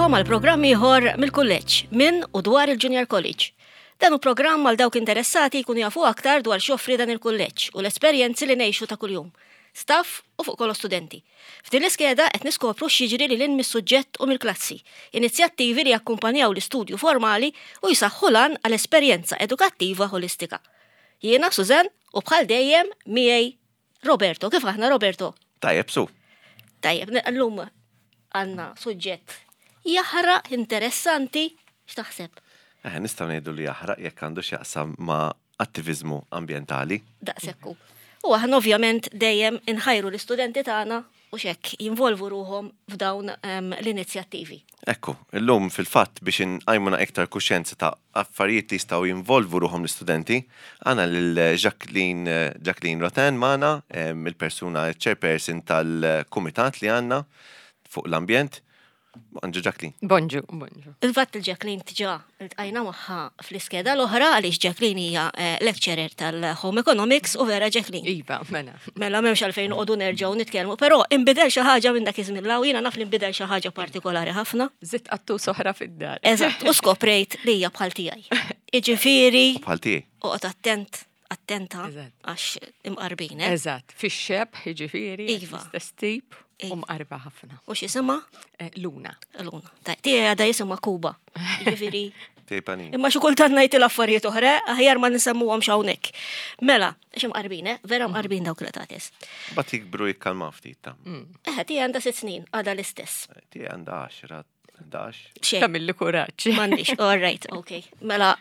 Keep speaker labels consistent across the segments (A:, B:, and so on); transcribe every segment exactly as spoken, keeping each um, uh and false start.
A: Nilqagħkom għal programm ieħor mill-kulleġġ minn u dwar il-Junior College. Dan hu programm għal dawk interessati jkunu jafu aktar dwar x'joffri dan il-kulleġġ u l-esperjenzi li ngħixu ta' kuljum. Staff u fuq kollox studenti. F'din l-iskeda qed niskopru x'jiġri lil hinn mis-suġġett u mill-klassi, inizjattivi li jakkumpanjaw l-istudju formali u jsaħħu l għal esperjenza edukattiva holistika. Jiena Susan u bħal dejjem miegħi Roberto. Kif aħna, Roberto?
B: Tajjeb, su.
A: Tajjeb, llum għandna suġġett jaħraq, interessanti, x'taħseb?
B: Eh, nistgħu ngħidu li jaħraq jekk għandu x'jaqsam ma' attiviżmu ambjentali.
A: Daqshekk hu. U aħna ovvjament dejjem inħajru l-istudenti tagħna u xek jinvolvu ruħhom f'dawn em, l-inizjattivi.
B: Ekku, illum fil-fatt biex inqajmu iktar kuxjenza ta' affarijiet li jistgħu jinvolvu ruħhom l-istudenti, għandna lil Jacqueline Jacqueline Roten magħna, em, il-persuna chairperson tal-kumitat li għandna fuq l-ambjent. Bonġu, Jacqueline.
C: Bonġu, bonġu.
A: Il-fatt il-Jacqueline diġà iltqajna magħha fl-iskeda l-oħra għaliex Jacqueline hija eh, lecturer tal-Home Economics u vera, Jacqueline?
C: Iva, mela.
A: Mela m'hemmx għalfejn noqogħdu nerġgħu nitkellmu, però inbidel xi ħaġa minn dak iż-żmien 'l hawn, jiena naf li nbidel xi ħaġa partikolari ħafna.
C: Żidt qattus oħra fid-dar.
A: Eżatt, u skoprejt li hija bħal tiegħi. Iġifieri,
B: Bħal tiegħi.
A: oqgħod attent, attenta
C: Eżatt.
A: għax imqarbin, eh?
C: Eżatt, fix-xebh, jiġifieri,
A: Iva.
C: l-istess tip,
A: Iva.
C: u mqarba ħafna.
A: U x'jisimha?
C: Eh, Luna.
A: Luna. Tiegħi għadha jisimha Kuba. Jiġifieri,
B: Tiegħi Panin.
A: imma xi kultant ngħid l-affarijiet oħra, aħjar ma nsemmuhomx hawnhekk. Mela, għax imqarbin, eh? Vera mqarbin dawk l-qtates.
B: Bat jikbru jikkalmaw ftit ta'
A: Eh, tiegħi għandha sitt snin, għadha l-istess.
B: Tiegħi għandha għaxra, ħdax.
A: Xejn.
C: Tagħmilli kuraġġ.
A: M'għandix, all right, okay. Mela,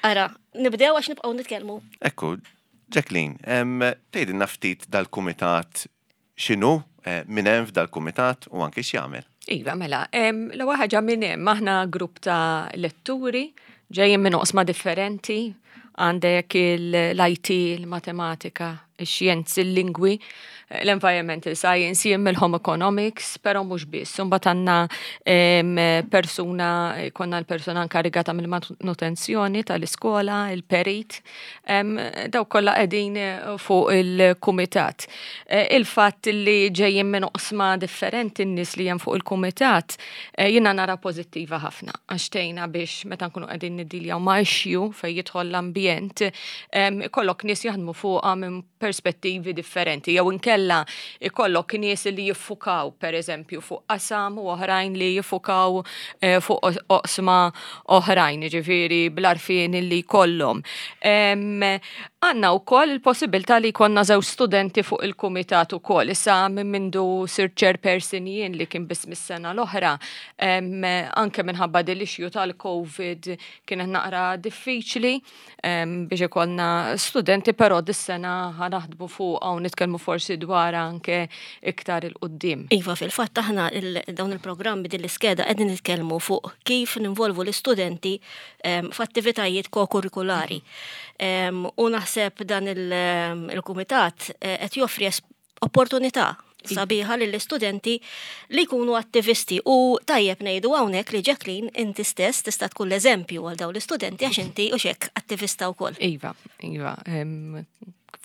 A: ara, nibdew għax nibqgħu nitkellmu.
B: Ekku, Jacqueline, em, tgħidilna ftit dal-kumitat x'inhu, eh, min hemm f'dal-kumitat u anke x'jagħmel.
C: Iva, mela, em, l-ewwel ħaġa minn hemm aħna grupp ta' letturi ġejjin minn oqsma differenti, għandek l-I T, il-matematika, ix-xjenzi, il-lingwi, l-environmental science, jien mill-home economics, pero mhux biss. Imbagħad għandna em, persuna, konna l-persuna inkarigata mill-manutenzjoni tal-iskola, il-perit, em, daw kollha qegħdin fuq il-kumitat. Eh, Il-fatt li ġejjin minn oqsma differenti n-nies li hemm fuq il-kumitat, eh, jiena nara pożittiva ħafna, għax tgħinna biex meta nkunu qegħdin niddiljaw ma' issue fejn jidħol l-ambjent, em, ikollok nies jaħdmu fuqha minn perspettivi differenti, jew inkella ikollok nies li jiffukaw, per eżempju, fuq qasam u oħrajn li jiffukaw eh, fuq oqsma oħrajn, ġifieri bl-għarfien li jkollhom. Em, Għandna wkoll il-possibilità li jkollna żewġ studenti fuq il-kumitat ukoll. Issa minn mindu sirt chairperson jien, li kien biss mis-sena l-oħra, em, anke minħabba din l-issue tal-Covid kienet naqra diffiċli em, biex ikollna studenti, però dis-sena ħa naħdmu fuq u nitkellmu forsi dwar anke iktar 'il quddiem.
A: Iva, fil-fatt aħna il- dawn il-programmi, din l-iskeda qegħdin nitkellmu fuq kif ninvolvu l-istudenti em, f'attivitajiet kokurrikulari. Em, U naħseb dan il- em, il-kumitat eh, qed joffri es- opportunità sabiħa lill-istudenti li jkunu attivisti u tajjeb ngħidu hawnhekk li, Jacqueline, inti stess tista' tkun l-eżempju għal dawn l-istudenti għax inti u xek attivista wkoll.
C: Iva, iva. em,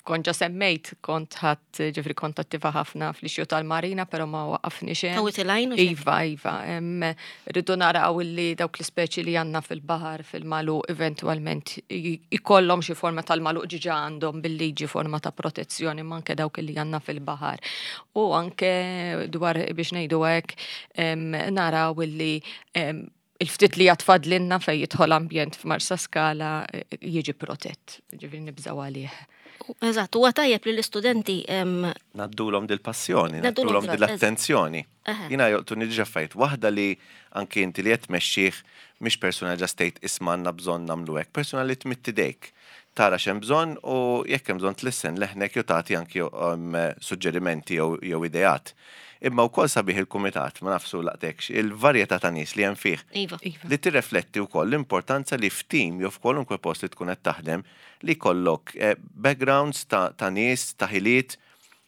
C: Kont ġa semmejt, kont ħadd, ġifieri kont attiva ħafna fl-issue tal-marina, pero ma waqafni xejn.
A: Tawit il-għajn u xek.
C: Iva, iva. em, Rridu naraw illi dawk l-ispeċi li għandna fil-baħar, fil-magħluq, eventualment i- ikollhom xi forma tal-magħluq diġà għandhom bil-liġi forma ta' protezzjoni, ma anke dawk li għandna fil-baħar. U anke dwar biex ngħidu hekk em, naraw illi em, il-ftit li għad fadlilna fej jidħol ambjent f'Marsa Skala eh, jiġi protett, ġifieri nibżaw għalih.
A: Eżatt, huwa tajjeb li l-istudenti em,
B: Ngħaddulhom dil-passjoni,
A: Ngħaddulhom
B: ngħaddulhom dil-attenzjoni.
A: Eħe.
B: Jiena jolqtuni diġà affarijiet. Waħda li anki inti li qed tmexxih mhix persuna just tgħid, "Isma', għandna bżonn nagħmlu hekk", persuna li tmidd idejk. Tara x'hemm bżonn u jekk hemm bżonn tlissen leħnek jew tagħti anki um, suġġerimenti jew jew ideat. Imma wkoll sabiħ il-kumitat, ma nafx laqtekx, il-varjetà ta' nies li hemm fih
A: Iva.
C: Iva.
B: li tirrefletti wkoll l-importanza li f'tim jew f'kwalunkwe post li tkun qed taħdem li jkollok eh, backgrounds ta', ta' nies, ta' ħiliet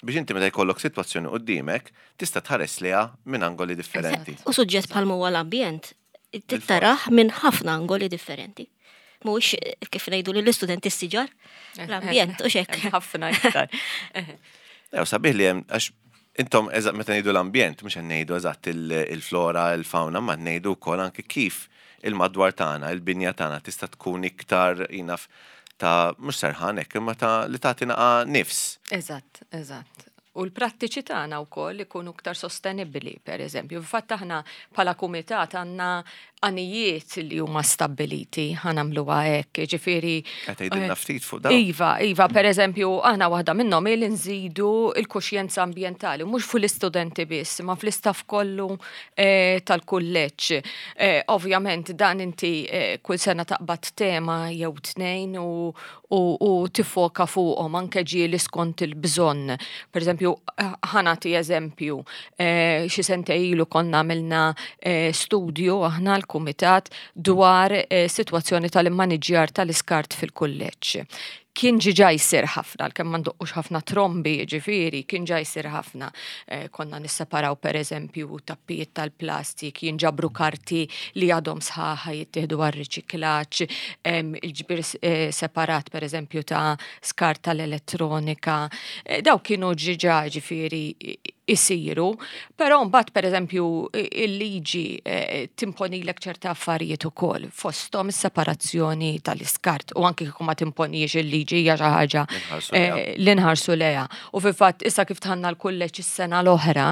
B: biex inti meta jkollok sitwazzjoni qudiemek tista' tħares liha minn angoli differenti.
A: U suġġett bħal huwa l-ambjent tittarah minn ħafna angoli differenti. Mhux kif ngħidu lill-istudenti s-siġar, l-ambjent u xek.
C: Ħafna iktar.
B: Ew, sabiħ li hemm għax Intom, eżatt meta ngħidu l-ambjent, mhux qed ngħidu eżatt il-flora, il-fauna, ma ngħidu wkoll anke kif il-madwar tagħna, il-binja tagħna tista' tkun iktar jinaf ta' mhux serħan hekk, imma ta' li tagħti naqa' nifs.
C: Eżatt, eżatt. U l-prattiċi tagħna wkoll ikunu iktar sostenibbli, per eżempju. Fatt aħna bħala kumitat għandna għanijiet li huma stabbiliti, ħa nagħmluha hekk, ġifieri.
B: Qed tgħidilna ftit fuq dawn.
C: Iva, iva, per eżempju, aħna waħda minnhom li nżidu il-kuxjenza ambjentali, mhux fl-istudenti biss, ma fl-istaff kollu eh, tal-kulleġġ. Eh, ovvjament dan inti eh, kull sena taqbad tema jew tnejn u, u, u tifoka fuqhom anke ġieli skont il-bżonn. Per eżempju, ħa nagħti eżempju, eh, xi sentejn ilu konna għamilna eh, studju aħna l-kumitat dwar eh, sitwazzjoni tal-immaniġjar tal-iskart fil-kulleġġ. Kien ġa jsir ħafna, kemm ma ndoqqux ħafna trombi, ġifieri, kien ġa jsir ħafna. Eh, konna nisseparaw per eżempju tappijiet tal-plastik, jinġabru karti li għadhom sħaħa jittieħdu għar-riċiklaġġ, il-ġbir eh, separat per eżempju ta' skart tal-elettronika. Eh, daw kienu ġa ġifieri isiru, però mbagħad per eżempju il-liġi timponilek ċerta affarijiet ukoll fosthom is-separazzjoni tal-iskart u anke kieku ma timponix il-liġi hija xi ħaġa li nħarsu lejha. U fil-fatt issa kif dħalna l-kulleġġ is-sena l-oħra,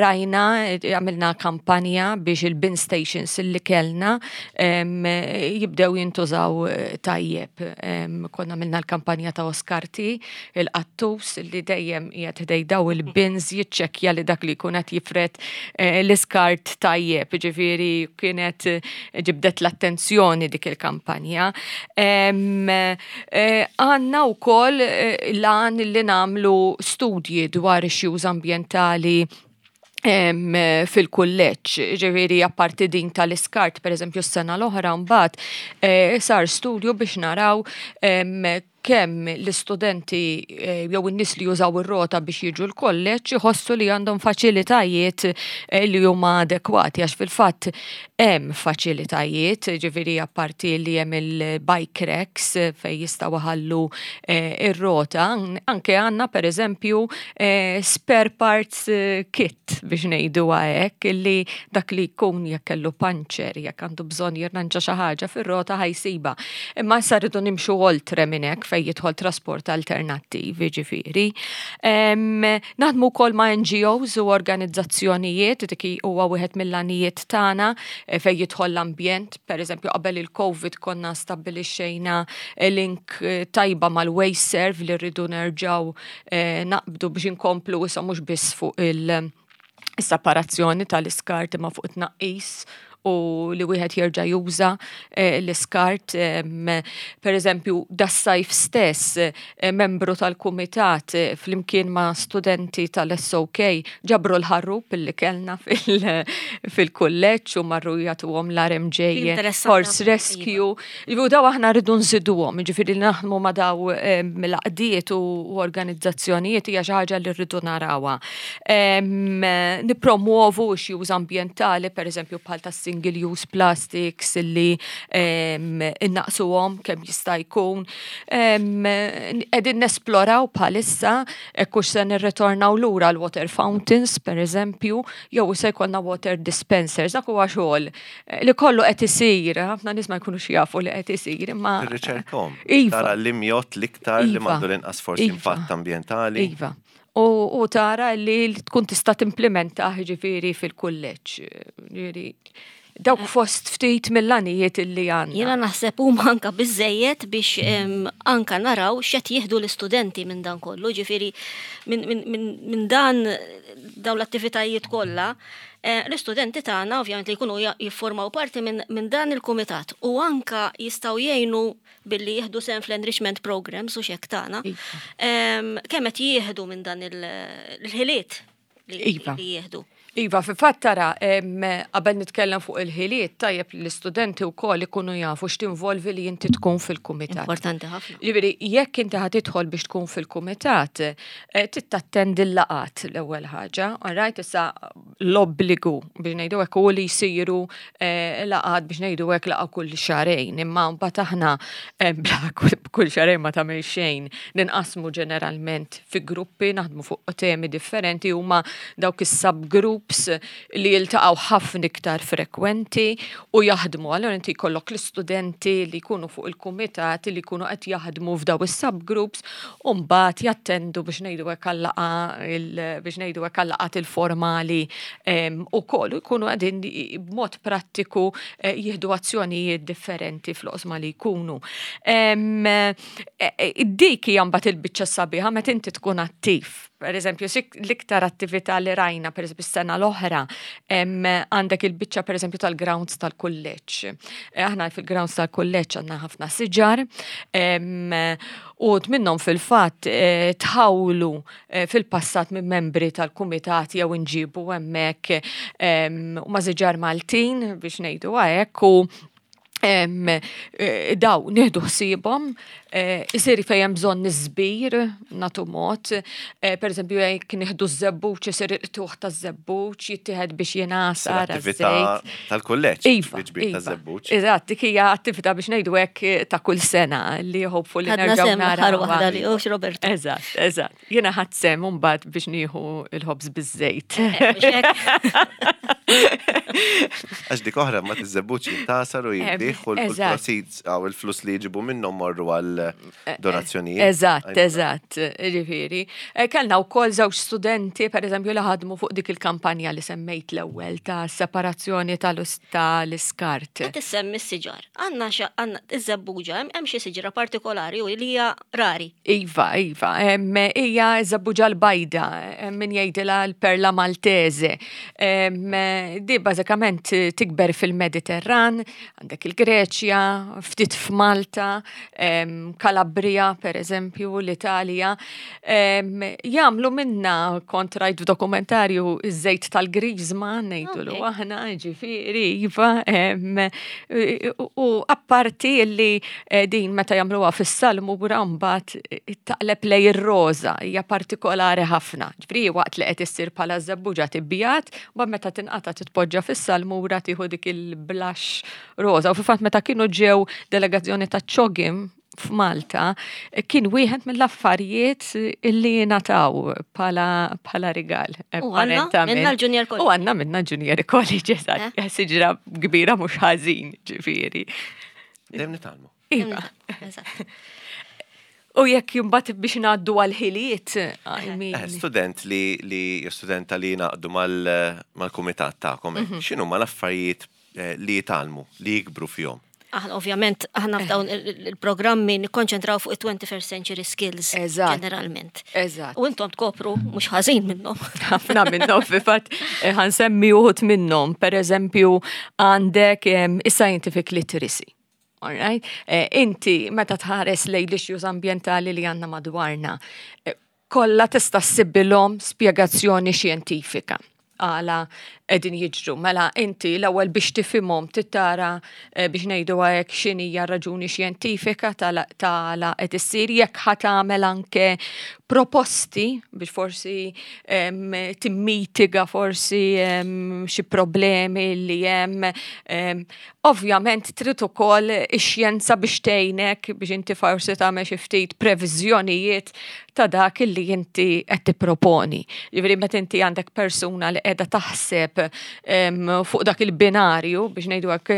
C: rajna għamilna kampanja biex il-bin stations li kellna jibdew jintużaw tajjeb. Konna għamilna l-kampanja ta' Oskarti, il-qattus li dejjem qiegħed ħdejn daw il-bins jiċċekkja li dak li jkun qed jifred l-iskart tajjeb, ġifieri kienet ġibdet l-attenzjoni dik il-kampanja. Għandna wkoll l-għan li nagħmlu studji dwar issues ambjentali fil-kulleġġ, ġifieri apparti din tal-iskart, per eżempju s-sena l-oħra mbagħad sar studju biex naraw kemm l-istudenti jew in-nies li jużaw ir-rota biex jiġu l-kolleġġ iħossu li għandhom faċilitajiet li huma adekwati għax fil-fatt hemm faċilitajiet, ġifieri apparti li hemm il-bike racks fejn jistgħu iħallu ir-rota, anke għandna per eżempju spare parts kit biex ngħidu hekk illi dak li jkun jekk kellu puncture, jekk għandu bżonn jirranġa xi ħaġa fir-rota ħa jsibha. Imma issa rridu nimxu oltre minn hekk fejn jidħol trasport alternattiv, ġifieri. Naħdmu wkoll ma' N G Os u organizzazzjonijiet, dik huwa wieħed mill-għanijiet tagħna fejn jidħol l-ambjent. Per eżempju, qabel il-Covid konna stabbilixxejna link tajba mal-WasteServ li rridu nerġgħu naqbdu biex inkomplu issa mhux biss fuq il-separazzjoni tal-iskart imma fuq it-tnaqqis u li wieħed jerġa' juża l-iskart. Per eżempju, das-sajf stess, membru tal-kumitat flimkien ma' studenti tal-S O K ġabru l-ħarrub li kellna fil-kulleġġ u marru jagħtuhom l-R M J Horse Rescue. U daw aħna rridu nżiduhom, ġifieri naħdmu ma' daw l-għaqdiet u organizzazzjonijiet hija xi ħaġa li rridu narawha. Nipromuovu issues ambjentali, per eżempju bħal tas single use plastics illi innaqsuhom kemm jista' jkun. Qegħdin nesploraw bħalissa hux se nirritornaw lura l-water fountains, per eżempju, jew se jkollna water dispensers. Dak huwa xogħol li kollu qed isir, ħafna nies ma jkunux jafu li qed isir, imma
B: Tirriċerkhom.
C: Iva.
B: Tara l-imjot l-iktar li
C: Iva.
B: m'għandu l-inqas forsi
C: Iva.
B: impatt ambjentali.
C: Iva. U, u tara li tkun tista' timplementa ġifieri fil-kulleġġ. Ġifieri, dawk fost ftit mill-għanijiet illi għandna.
A: Jiena naħseb huma anka biżejjed biex em, anka naraw x'qed jieħdu l-istudenti minn dan kollu, ġifieri minn min, min, min dan dawn l-attivitajiet kollha, eh, l-istudenti tagħna ovvjament li jkunu ja- jiffurmaw parti minn min dan il-kumitat u anka jistgħu jgħinu billi jieħdu sehem fl-enrichment programs u xek tagħna.
C: Iva.
A: Em, Kemm qed jieħdu minn dan il- il-ħiliet li
C: Iva.
A: li jieħdu.
C: Iva, fi fatt tara, qabel nitkellem fuq il-ħiliet, tajjeb li l-istudenti wkoll ikunu jafu x'tinvolvi li inti tkun fil-kumitat.
A: Importanti ħafna.
C: Ġifieri, jekk inti ħa tidħol biex tkun fil-kumitat, eh, tittattendi l-laqgħat l-ewwel ħaġa, alright, issa l-obbligu biex ngħidu hekk u li jsiru eh, laqgħat biex ngħidu hekk laqgħa kull xahrejn, imma mbagħad aħna eh, bla kull xahrejn ma tagħmel xejn, ninqasmu ġeneralment fi gruppi, naħdmu fuq temi differenti huma dawk is-subgroups li jiltaqgħu ħafna iktar frekwenti u jaħdmu. Allora inti jkollok l-istudenti li jkunu fuq il-kumitat li jkunu qed jaħdmu f'daw is-subgroups u mbagħad jattendu biex ngħidu hekk għal-laqgħa biex ngħidu hekk għal-laqgħat il-formali ukoll u jkunu qegħdin b'mod prattiku eh, jieħdu azzjonijiet differenti fl-oqsma li jkunu. E, e, dik hija mbagħad il-biċċa sabiħa meta inti tkun attiv. Per eżempju, l-iktar attività li rajna, per eżempju, s-sena l-oħra, għandek il-biċċa per eżempju tal-grounds tal-kulleġġ. Eh, aħna fil-grounds tal-kulleġġ għandna ħafna siġar, u minnhom fil-fatt eh, tħawlu eh, fil-passat minn membri tal-kumitat jew inġibu hemmhekk u ma' siġar Maltin biex ngħidu hekk u daw nieħdu ħsiebhom, isir fejn hemm bżonn niżbir nagħtu mod, per eżempju jekk nieħdu ż-żebbuġ isir il-qtugħ taż-żebbuġ jittieħed biex jingħasar.
B: Attività tal-kulleġġ.
C: Iva, iva. Eżatt, dik hija attività biex ngħidu hekk ta' kull sena li hopefully nerġgħu
A: naraw. Waħda li hux Roberto.
C: Eżatt, eżatt. Jiena ħadt sehem mbagħad biex nieħu il-ħobż biż-żejt.
B: Għax dik oħra ma tiż-żebbuġ jintgħasar u jinbiegħ u l-proceeds għaw il-flus li jġibu minnhom morru għal donazzjonijiet.
C: Eżatt, eżatt, ġifieri. Kellna wkoll żewġ studenti, per eżempju, li ħadmu fuq dik il-kampanja li semmejt l-ewwel ta' separazzjoni tal-iskart.
A: Qed issemmi s-siġar. Għandna għandna iż-żebbuġa, hemm xi siġra partikolari u li hija rari.
C: Iva, iva, hija ż-żebbuġa l-bajda, min jgħidilha l-perla Maltese. Di bażikament tikber fil-Mediterran, għandek il-Greċja, ftit f'Malta, Kalabria, per eżempju, l-Italja, jagħmlu minna kont rajt f'dokumentarju iż-żejt tal-griżma, ngħidulu aħna, ġifieri, iva, u apparti li eh, din meta jagħmluha fis-salmura mbagħad taqleb lej ir-roża, hija partikolari ħafna. Ġifieri waqt li qed issir bħala żebbuġa tibjad, mbagħad meta tinqata titpoġġa fis-salmura tieħu dik il-blush roża. U fil-fatt meta kienu ġew delegazzjoni ta' CHOGM f'Malta, kien wieħed mill-affarijiet illi ngħataw bħala rigal.
A: U għandna minna l-Junior College.
C: U għandna minna Junior College, eżatt. Eh? Siġra kbira mhux ħażin, ġifieri.
B: Dejjem nitgħallmu.
C: Iva. U jekk imbagħad biex ngħaddu għal-ħiliet, I mean.
B: Eh, student li li studenta li ngħaqdu mal-kumitat tagħkom, mhm. x'inhu ma l-affarijiet eh, li jitgħallmu, li jikbru fihom?
A: Aħna ovvjament aħna f'dawn il-programmi nikkonċentraw fuq il-twenty-first century skills ġeneralment.
C: Eżatt.
A: U intom tkopru mhux ħażin minnhom.
C: Ħafna minnhom fil-fatt eh, ħa nsemmi uħud minnhom. Per eżempju għandek is-scientific literacy. Alright? Eh, inti meta tħares lejn l-issues ambjentali li għandna madwarna, eh, kollha tista' ssibilhom spjegazzjoni xjentifika għala qegħdin jiġru. Mela inti l-ewwel biex tifhimhom tittara eh, biex ngħidu hekk x'inhija raġuni xjentifika tala qed issir jekk ħa tagħmel anke proposti biex forsi timmitiga forsi xi problemi li hemm. Ovvjament trid ukoll ix-xjenza biex tgħinek biex inti forsi tagħmel xi ftit previżjonijiet ta' dak illi inti qed tipproponi. Ġifieri meta inti għandek persuna li qiegħda taħseb fuq dak il-binarju biex ngħidu hekk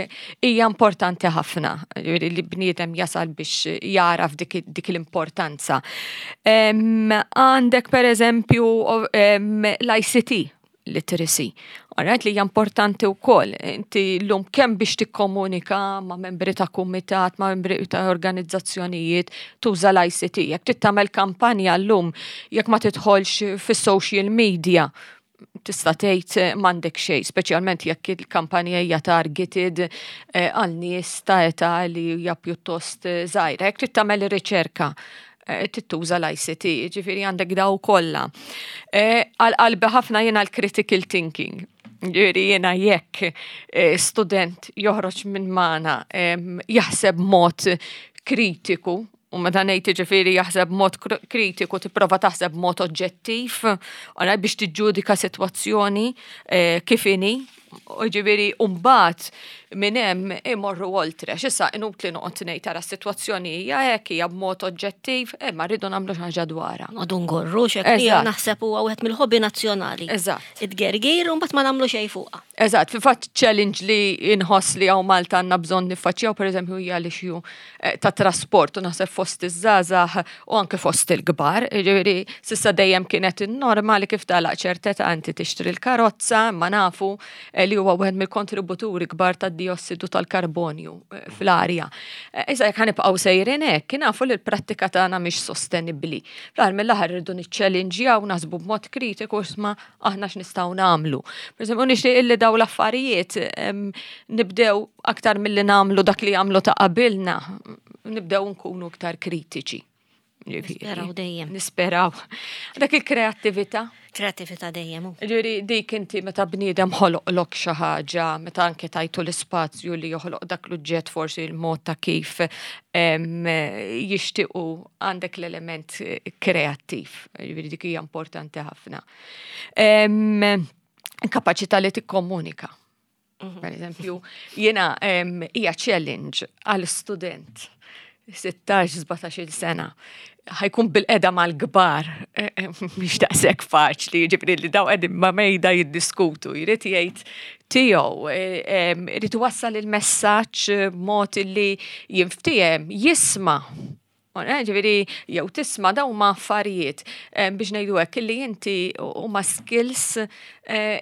C: hija importanti ħafna. Ġifieri li bniedem jasal biex jaraf dik, dik l-importanza. Għandek per eżempju l-I C T literacy. Alright, li hija importanti wkoll. Inti llum kemm biex tikkomunika ma' membri ta' kumitat, ma' membri ta' organizzazzjonijiet, tuża l-I C T. Jekk trid tagħmel kampanja llum, jekk ma tidħolx fis-social media, tista' tgħid m'għandek xejn, speċjalment jekk il-kampanja hija targeted eh, għal nies ta' età li hija pjuttost żgħira. Jekk trid tagħmel riċerka, eh, tittuża l-I C T, ġifieri għandek daw kollha. Eh, għal qalbi ħafna jiena l-critical thinking. Ġifieri jiena jekk eh, student joħroġ minn magħna jaħseb mod kritiku, u meta ngħid ġifieri jaħseb mod kritiku, tipprova taħseb mod oġġettiv, biex tiġġudika sitwazzjoni kif inhi, u ġifieri mbagħad minn hemm imorru oltre. X'issa inutli noqgħod ngħid tara s-sitwazzjoni hija hekk, hija b'mod oġġettiv, imma rridu nagħmlu xi ħaġa dwarha.
A: Għadu ngorru xek li naħseb huwa wieħed mill-hobby nazzjonali.
C: Eżatt.
A: Id-gergir u mbagħad ma nagħmlu xejn fuqha.
C: Eżatt, fi fatt challenge li inħoss li hawn Malta għandna bżonn niffaċċjaw, pereżempju, hija l-issue eh, ta' trasport u naħseb fost iż-żgħażagħ u anke fost il-kbar. Ġifieri s'issa dejjem kienet in-norma li kif tagħlaq ċerta età inti tixtri l-karozza, ma nafu eh, li huwa wieħed mill-kontributuri kbar tad-diossidu tal-karbonju eh, fl-arja. Issa jekk ħa nibqgħu sejrin hekk, nafu li l-prattika tagħna mhix sostenibbli. Fl-aħħar mill-aħħar irridu niċċellinġjaw, naħsbu b'mod kritiku isma' aħna x'nistgħu nagħmlu. Per eżempju, nixtieq illi daw l-affarijiet nibdew aktar milli nagħmlu dak li jagħmlu ta' qabilna, nibdew nkunu iktar kritiċi.
A: Nisperaw dejjem.
C: Nisperaw. Dak il-kreattività.
A: Kreattività dejjem.
C: Ġifieri dik inti meta bniedem ħoloqlok xi ħaġa, meta anke tajtu l-ispazju li joħloq dak l-uġġett, forsi l-mod ta' kif jixtiequ, għandek l-element kreattiv. Ġifieri dik hija importanti ħafna. Kapaċità li tikkomunika. Mhm. Per eżempju, jiena hija challenge għal student sittax sbatax-il sena ħa jkun bilqiegħda mal-kbar, eh, eh, mhix daqshekk faċli, ġifieri li daw qegħdin ma' mejda jiddiskutu, jrid jgħid tiegħu, eh, irid wassal il-messaġġ mod li jinftiehem, jisma'. Ġifieri, jew tisma', daw ma affarijiet biex ngħidu hekk li inti huma skills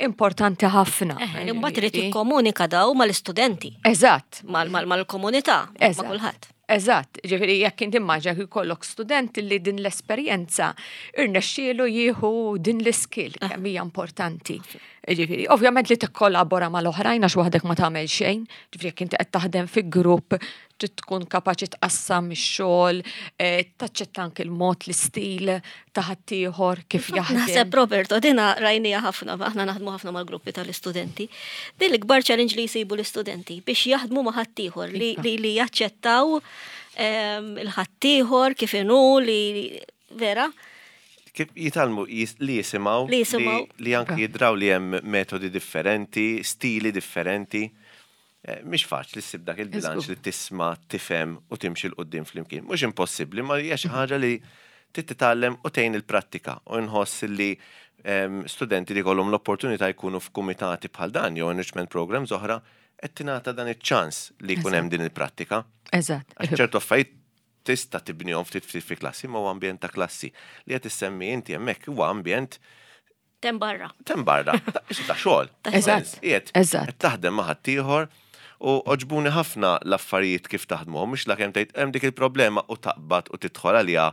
C: importanti ħafna.
A: Imbagħad irid jikkomunika daw mal-istudenti.
C: Eżatt.
A: Mal-komunità, ma' kulħadd.
C: Eżatt, ġifieri jekk inti immaġina jkollok student li din l-esperjenza irnexxielu jieħu din l-skill, ah. kemm hija importanti. Ġifieri, ovvjament li tikkollabora mal-oħrajn għax waħdek ma tagħmel xejn, ġifieri jekk inti qed taħdem fi grupp trid tkun kapaċi tqassam ix-xogħol, eh, taċċetta anke il-mod, l-istil ta' ħaddieħor kif jaħdem.
A: Naħseb, Roberto, dina rajnija ħafna, aħna naħdmu ħafna mal-gruppi tal-istudenti. Din l-ikbar challenge li jsibu l-istudenti biex jaħdmu ma' ħaddieħor li, li, li jaċċettaw ehm, il-ħaddieħor kif inhu li vera.
B: Kif jitgħallmu jis- li jisimgħu,
A: Li jisimgħu.
B: li, li anki jidraw li hemm metodi differenti, stili differenti. Eh, Mhix faċli ssib dak il-bilanċ li tisma', tifhem u timxi 'l quddiem flimkien. Mhux impossibbli, ma hija xi ħaġa li trid titgħallem u tgħin il-prattika u nħoss li em, studenti li kollhom l-opportunità jkunu f'kumitati bħal dan jew enrichment programs oħra qed tingħata dan iċ-ċans li jkun hemm din il-prattika.
C: Eżatt.
B: Għax ċertu affarijiet tista' tibnihom ftit ftit fi klassi, ma huwa ambjent ta' klassi. Li qed issemmi inti hemmhekk huwa ambjent
A: Tem barra.
B: tem barra, ta' isu ta' xogħol.
A: Ta'
C: Eżatt.
B: Qiegħed
C: Eżatt.
B: qed taħdem ma' ħaddieħor u għoġbuni ħafna l-affarijiet kif taħdmu, mhux la kemm tgħid hemm dik il-problema u taqbad u tidħol għaliha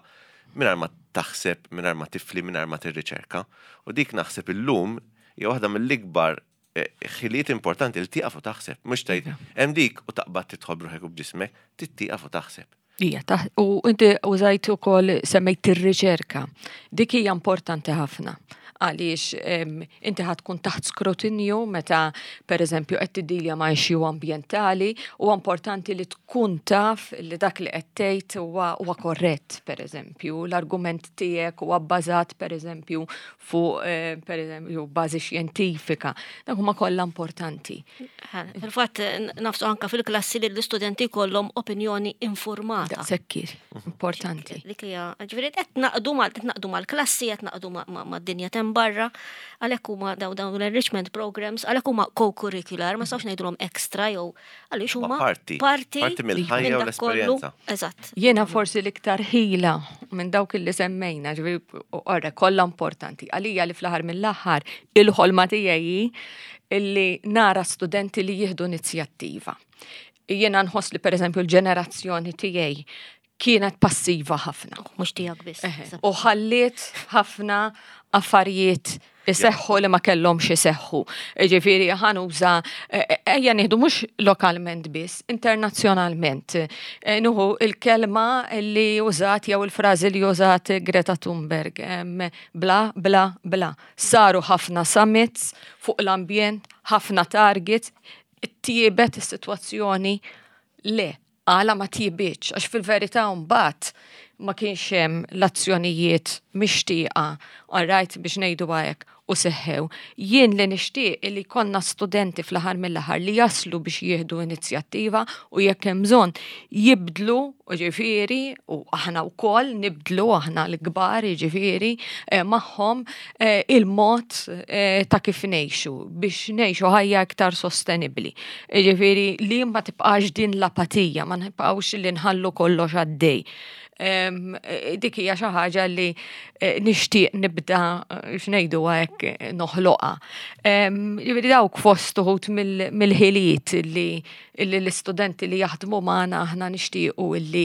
B: mingħajr ma taħseb, mingħajr ma tifli, mingħajr ma tirriċerka. U dik naħseb illum hija waħda mill-ikbar eh, ħiliet importanti li tieqaf u taħseb, mhux tgħid hemm dik u taqbad tidħol bruħek u b'ġismek, tieqaf u taħseb.
C: Ija, taħ- u inti użajt ukoll, semmejt ir-riċerka. Dik hija importanti ħafna għaliex em, inti ħa tkun taħt skrutinju meta per eżempju qed tiddilja ma' issue ambjentali u importanti li tkun taf li dak li qed tgħid huwa huwa korrett, per eżempju, l-argument tiegħek huwa bbażat, per eżempju, fuq eh, per eżempju bażi xjentifika. Dak huma kollha importanti.
A: Fil-fatt nagħfsu anka fil-klassi li l-istudenti kollhom opinjoni informata.
C: Daqshekk importanti.
A: Dik hija, ġifieri qed naqdu mal qed naqdu mal-klassi, qed naqdu ma- ma- mad-dinja tem barra, għalhekk huma daw dawn l-enrichment programs, għalhekk huma co-curricular, ma nistgħux ngħidulhom extra jew għaliex huma
B: Ma parti.
A: parti
B: Parti mill-ħajja
A: minn
B: u
A: dak kollu.
B: l-esperjenza.
A: Eżatt.
C: Jiena forsi l-iktar ħila minn dawk li semmejna, ġifieri, orra, kollha importanti. Għalija li fl-aħħar mill-aħħar il-ħolma tiegħi illi nara studenti li jieħdu inizjattiva. Jiena nħoss li, per eżempju, l-ġenerazzjoni tiegħi kienet passiva ħafna.
A: Mhux tiegħek biss.
C: Eħe. U ħalliet ħafna affarijiet Iseħħu li ma kellhomx iseħħu. Ġifieri ħa nuża ejja nieħdu mhux lokalment biss, internazzjonalment. Nieħu il-kelma li użat jew il-frażi li użat Greta Thunberg. Bla, bla, bla. Saru ħafna summits fuq l-ambjent, ħafna targets, tjiebet is-sitwazzjoni? Le, għala ma tjibitx, għax fil-verità mbagħad ma kienx hemm l-azzjonijiet mixtieqa, all right, biex ngħidu hekk, u seħħew. Jien li nixtieq li konna studenti fl-aħħar mill-aħħar li jaslu biex jieħdu inizjattiva u jekk hemm bżonn jibdlu, ġifieri, u aħna wkoll nibdlu, aħna l-kbar, ġifieri, eh, magħhom eh, il-mod eh, ta' kif ngħixu biex ngħixu ħajja iktar sostenibbli. Ġifieri li ma tibqax din l-apatija, ma nibqgħux li nħallu kollox għaddej. Dik hija xi ħaġa li nixtieq nibda x'ngħidu hekk noħloqha. Ġifieri dawk fost uħud mill-ħiliet li l-istudenti li jaħdmu magħna aħna nixtiequ li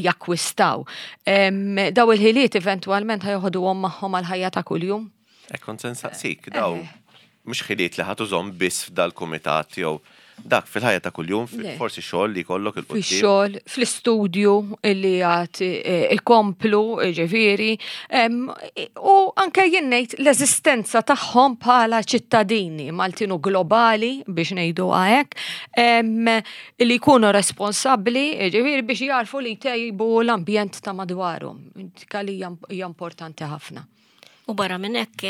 C: jakkwistaw. Daw il-ħiliet eventwalment ħa joħduhom magħhom għal-ħajja ta' kuljum.
B: Hekk kont se nsaqsik, daw mhux ħiliet li ħa tużahom biss f'dal-kumitat jew dak fil-ħajja ta' kuljum, forsi xogħol li jkollok 'il quddiem.
C: Fix-xogħol, fl-istudju li għad ikomplu, ġifieri, u anke jien ngħid l-eżistenza tagħhom bħala ċittadini Maltin u globali biex ngħidu hekk, li jkunu responsabbli, ġifieri biex jarfu li jtejbu l-ambjent ta' madwarhom. Dik li hija importanti ħafna.
A: U barra minn hekk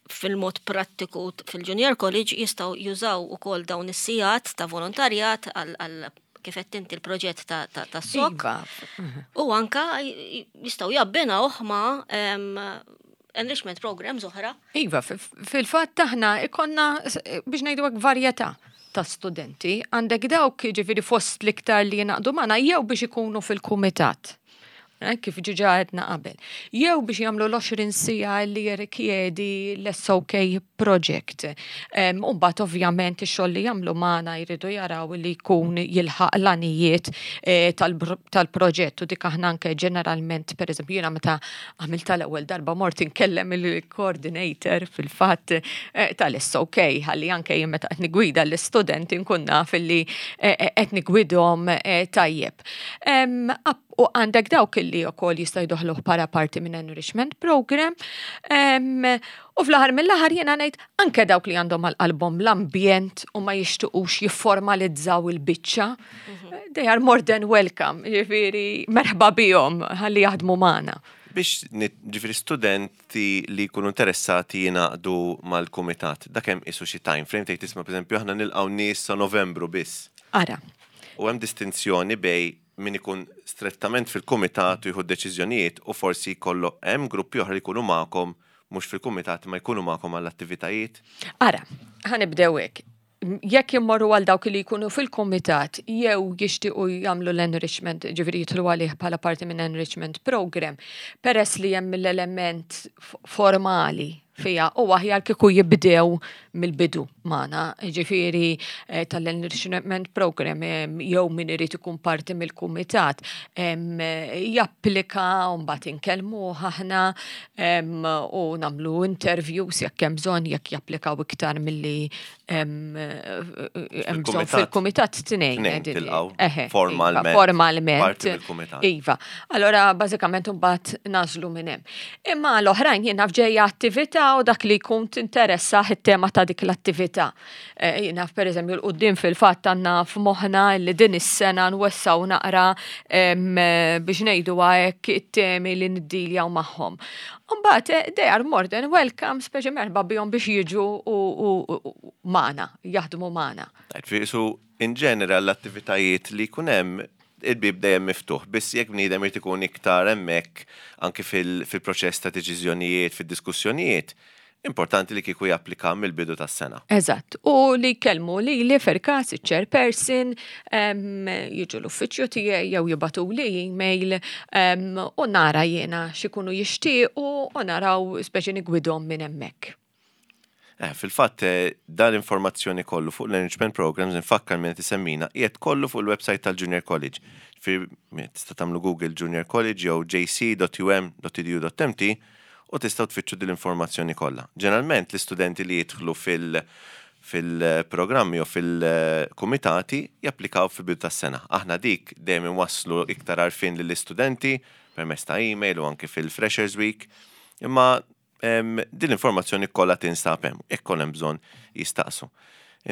A: fil-mod prattiku fil-Junior College jistgħu jużaw ukoll dawn is-sigħat ta' volontarjat għal kif qed inti l-proġett ta' S O K.
C: Iva.
A: U anka jistgħu jabbinawh ma' enrichment programs oħra.
C: Iva, fil-fatt aħna ikonna biex ngħidu hekk varjetà ta' studenti. Għandek dawk ġifieri fost l-iktar li jingħaqdu magħna jew biex ikunu fil-kumitat. Eh, kif diġà għedna qabel. Jew biex jagħmlu l-għoxrin siegħa li jirrikjedi l-S O K project. U mbagħad ovvjament ix-xogħol li jagħmlu magħna jridu jaraw li jkun jilħaq l-għanijiet eh, tal-proġett u dik aħna anke ġeneralment, pereżempju, jiena meta għamilt tal-ewwel darba mort inkellem il-coordinator fil-fatt eh, tal-S O K ħalli anke jien meta qed nigwida l-istudenti nkun naf li qed nigwidhom tajjeb. U għandek dawk li wkoll jista' jdaħħluh bħala parti minn enrichment program. U fl-aħħar mill-aħħar jiena ngħid anke dawk li għandhom għal qalbhom l-ambjent u ma jixtuqux jifformalizzaw il-biċċa, mhm. they are more than welcome, ġifieri merħba bihom ħalli jaħdmu magħna.
B: Biex ġifieri studenti li jkunu interessati jingħaqdu mal-kumitat, dak hemm isu xi time frame tgħid, tisma', pereżempju, aħna nilqgħu nies sa Novembru biss?
C: Ara.
B: U hemm distinzjoni bejn min ikun strettament fil-kumitat u jieħu deċiżjonijiet u forsi kollu hemm gruppi oħra li jkunu magħkom mhux fil-kumitat ma jkunu magħkom għall-attivitajiet?
C: Ara, ħa nibdew hekk. Jekk jimmorru għal dawk li jkunu fil-kumitat jew jixtiequ jagħmlu l-enrichment, ġifieri jidħlu għalih bħala parti minn enrichment program, peress li hemm l-element formali fija u aħjar kieku jibdew mill-bidu magħna, ġifieri eh, tal-enrichment program jew min irid ikun parti mill-kumitat japplika u mbagħad inkellmu aħna u nagħmlu interviews jekk hemm bżonn, jekk japplikaw iktar milli hemm bżonn fil-kumitat, tnejn.
B: Formalment.
C: Formalment. Iva. Allora bażikament mbagħad nagħżlu minn hemm. Imma l-oħrajn jien naf ġejja attività u dak li jkun tinteressa it-tema ta' dik l-attività. Eh, jien naf, per eżempju, 'l quddiem fil-fatt għandna f'moħħna li din is-sena nwessaw naqra biex ngħidu hekk it-temi li niddiljaw magħhom. Mbagħad eh, they are more than welcome, speċi merħba bihom biex jiġu u magħna, jaħdmu magħna.
B: So, in general l-attivitajiet li jkun hemm il-bib dejjem miftuħ, biss jekk bniedem irid ikun iktar hemmhekk anke fil-proċess ta' deċiżjonijiet, fid-diskussjonijiet, importanti li kieku japplika mill-bidu tas-sena.
C: Eżatt, u li kellmu li li fil-każ il-chairperson jiġu l-uffiċċju tiegħi jew jibagħtu li email u nara jiena x'ikunu jixtiequ u naraw speċi nigwidhom minn hemmhekk.
B: Eh, fil-fatt, eh, dal-informazzjoni kollu fuq l-Enrichment Programs, nfakkar minn tisemmina, qiegħed kollu fuq il-website tal-Junior College. Fi tista' tagħmlu Google Junior College jew J C dot U M dot edu dot M T u u tistgħu tfittxu din l-informazzjoni kollha. Ġeneralment l-istudenti li jidħlu fil- fil-programmi u fil-komitati japplikaw fil-bidu tas-sena. Aħna dik dejjem inwasslu iktar għarfien lill-istudenti permezz ta' email u anke fil-Freshers Week. Imma em, din l-informazzjoni kollha tinsab hemm, jekk hemm bżonn jistaqsu.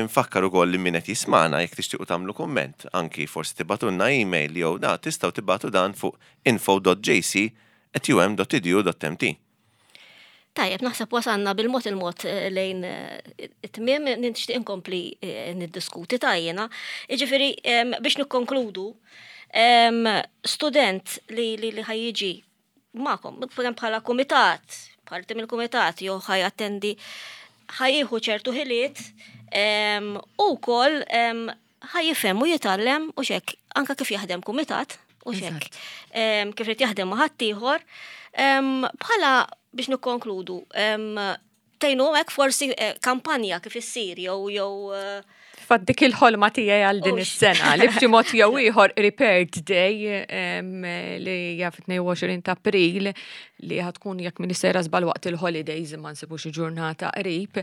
B: Infakkar ukoll li min qed jismana jekk tixtiequ tagħmlu kumment, anki forsi tibagħtulna email jew da tistgħu tibagħtu dan fuq info dot J C at U M dot edu dot M T.
A: Tajjeb, naħseb wasanna bil-mod il-mod eh, lejn eh, it-tmiem. Nixtieq inkompli eh, niddiskuti tajjena. Jiġifieri em, biex nikkonkludu, em, student li li li ħa jiġi magħkom, bħala kumitat, parti mill-kumitat, jew ħa jattendi, ħa jieħu ċertu ħiliet em, u wkoll em, ħa jifhem u jitgħallem u xek, anka kif jaħdem kumitat u xek, em, kif irid jaħdem ma' ħaddieħor. Em, Bħala biex nikkonkludu, em, tgħinu hekk forsi eh, kampanja kif issir jew jew eh,
C: Fatt dik il-ħolma tiegħi għal din
A: Ux.
C: is-sena li b'xi mod jew ieħor Repair Day em, li hija fit-tnejn u għoxrin ta' April, li ħa tkun, jekk m'iniex sejra żball, waqt il-holidays, imma nsibu xi ġurnata qrib,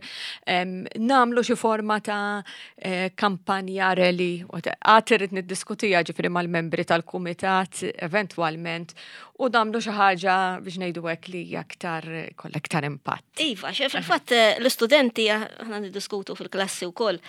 C: em, nagħmlu xi forma ta' eh, kampanja, rally, għad irrid niddiskutija ġifieri mal-membri tal-kumitat eventwalment u nagħmlu xi ħaġa biex ngħidu hekk li hija aktar kollha aktar impatt.
A: Iva, xe fil-fatt eh, l-istudenti, aħna niddiskutu fil-klassi wkoll,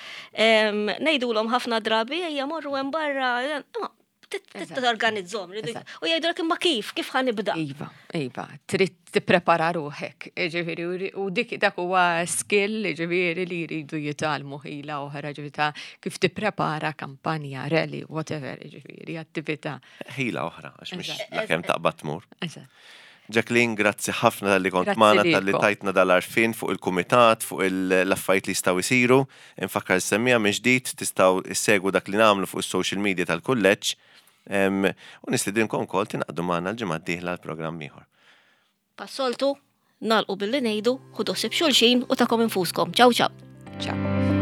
A: ngħidulhom ħafna drabi ejja morru hemm barra, imma torganizzahom.
C: Eżatt.
A: U jgħidulek imma kif, kif ħa nibda?
C: Iva, iva, trid tipprepara ruħek, ġifieri, u dik dak huwa skill, ġifieri, li jridu jitgħallmu, ħila oħra, ġifieri, ta' kif tipprepara kampanja, rally, whatever, ġifieri, attività.
B: Ħila oħra, għax mhix
C: Eżatt.
B: la kemm taqbad tmur.
C: Eżatt.
B: Jacqueline, grazzi ħafna talli kont
C: Grazzi
B: magħna, talli
C: lilkom.
B: tajtna dal-għarfien fuq il-kumitat, fuq il- l-affarijiet li jistgħu jsiru. Infakkar is-semmiegħa minn ġdid tistgħu issegwu dak li nagħmlu fuq is-social media tal-kulleġġ. Em, U nistedinkom ukoll tingħaqdu magħna l-ġimgħa d-dieħla l-programm ieħor.
A: Bħas-soltu, nagħlqu billi ngħidu, ħudu ħsieb xulxin u tagħkom infuskom. Ciao, ciao.
C: Ciao.